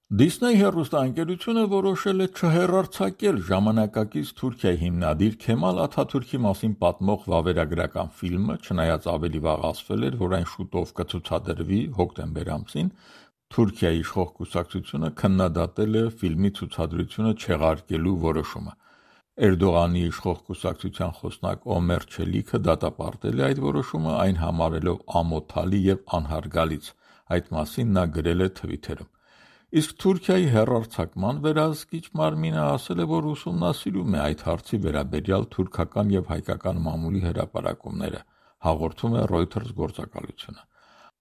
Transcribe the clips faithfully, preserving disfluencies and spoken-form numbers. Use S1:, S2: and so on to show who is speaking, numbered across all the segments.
S1: Դիսնեյ հեռուստաընկերությունը որոշել է չհեռարձակել ժամանակակից Թուրքիայի հիմնադիր Քեմալ Աթաթուրքի մասին պատմող վավերագրական ֆիլմը, չնայած ավելի վաղ ասվել էր, որ այն շուտով կցուցադրվի հոկտեմբեր ամսին, Թուրքիայի իշխող կուսակցությունը քննադատել է ֆիլմի ցուցադրությունը չեղարկելու որոշումը։ Էրդողանի իշխող կուսակցության խոսնակ Օմեր Չելիքը դատապարտել է այդ որոշումը, այն համարելով ամոթալի և անհարգալից։ Այդ մասին նա գրել է Թվիթերում։ Իսկ Թուրքիայի հեռարձակման վերահսկիչ մարմինը ասել է, որ ուսումնասիրում է այդ հարցի վերաբերյալ թուրքական և հայկական մամուլի հրապարակումները, հաղորդում է Reuters գործակալությունը։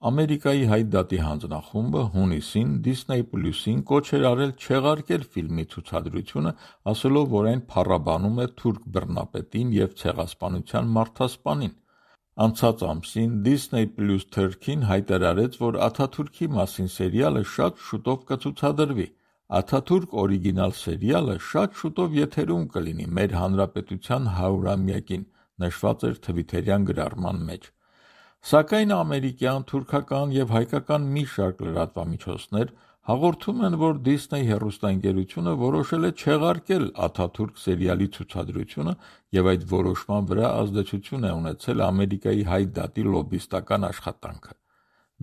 S1: Ամերիկայի Հայ դատի հանձնախումբը հունիսին Disney Plus-ին կոչ էր արել չեղարկել ֆիլմի ցուցադրությունը, ասելով, որ այն փառաբանում է թուրք բռնապետին և ցեղասպանության մարդասպանին։ Անցած ամսին Disney Plus թերթին հայտարարեց, որ Աթաթուրքի մասին սերիալը շատ շուտով կցուցադրվի։ Աթաթուրք օրիգինալ սերիալը շատ շուտով եթերում կլինի մեր հանրապետության հարյուրամյակին, նշված էր թվիթերյան գրառման մեջ։ Սակայն ամերիկյան, թուրքական և հայկական մի շարք լրատվամիջոցներ հաղորդում են, որ Disney հեռուստաընկերությունը որոշել է չեղարկել Աթաթուրք սերիալի ցուցադրությունը և այդ որոշման վրա ազդեցություն է ունեցել Ամերիկայի Հայ դատի լոբբիստական աշխատանքը։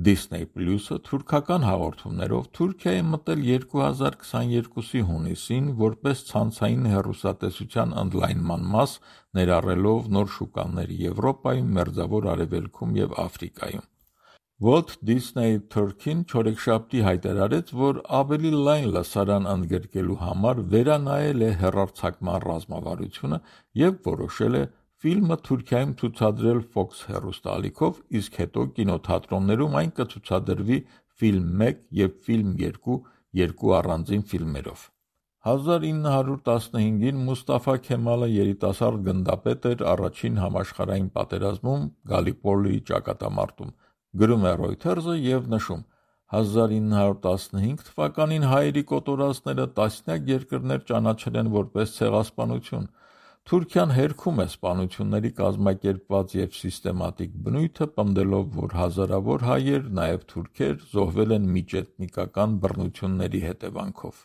S1: Disney Plus-ը թուրքական հաղորդումներով Թուրքիա է մտել երկու հազար քսաներկուսի հունիսին որպես ցանցային հեռուստատեսության ընդլայնման մաս, ներառելով նոր շուկաներ Եվրոպայում, Մերձավոր Արևելքում և Աֆրիկայում։ Walt Disney թերթին չորեքշաբթի հայտարարեց, որ ավելի լայն լսարան ընդգրկելու համար վերանայել է հեռարձակման ռազմավարությունը և որոշել է ֆիլմը Թուրքիայում ցուցադրել Fox հեռուստաալիքով, իսկ հետո կինոթատրոններում այն կցուցադրվի Ֆիլմ մեկ և Ֆիլմ երկու երկու առանձին ֆիլմերով։ հազար ինը հարյուր տասնհինգին Մուստաֆա Քեմալը երիտասարդ գնդապետ էր առաջին համաշխարհային պատերազմում Գալիպոլիի ճակատամարտում, գրում է Reuters-ը և նշում. հազար ինը հարյուր տասնհինգ թվականին հայերի կոտորածները տասնյակ երկրներ ճանաչել են որպես ցեղասպանություն։ Թուրքիան հերքում է սպանությունների կազմակերպված և սիստեմատիկ բնույթը, պնդելով, որ հազարավոր հայեր, նաև թուրքեր, զոհվել են միջէթնիկական բռնությունների հետևանքով։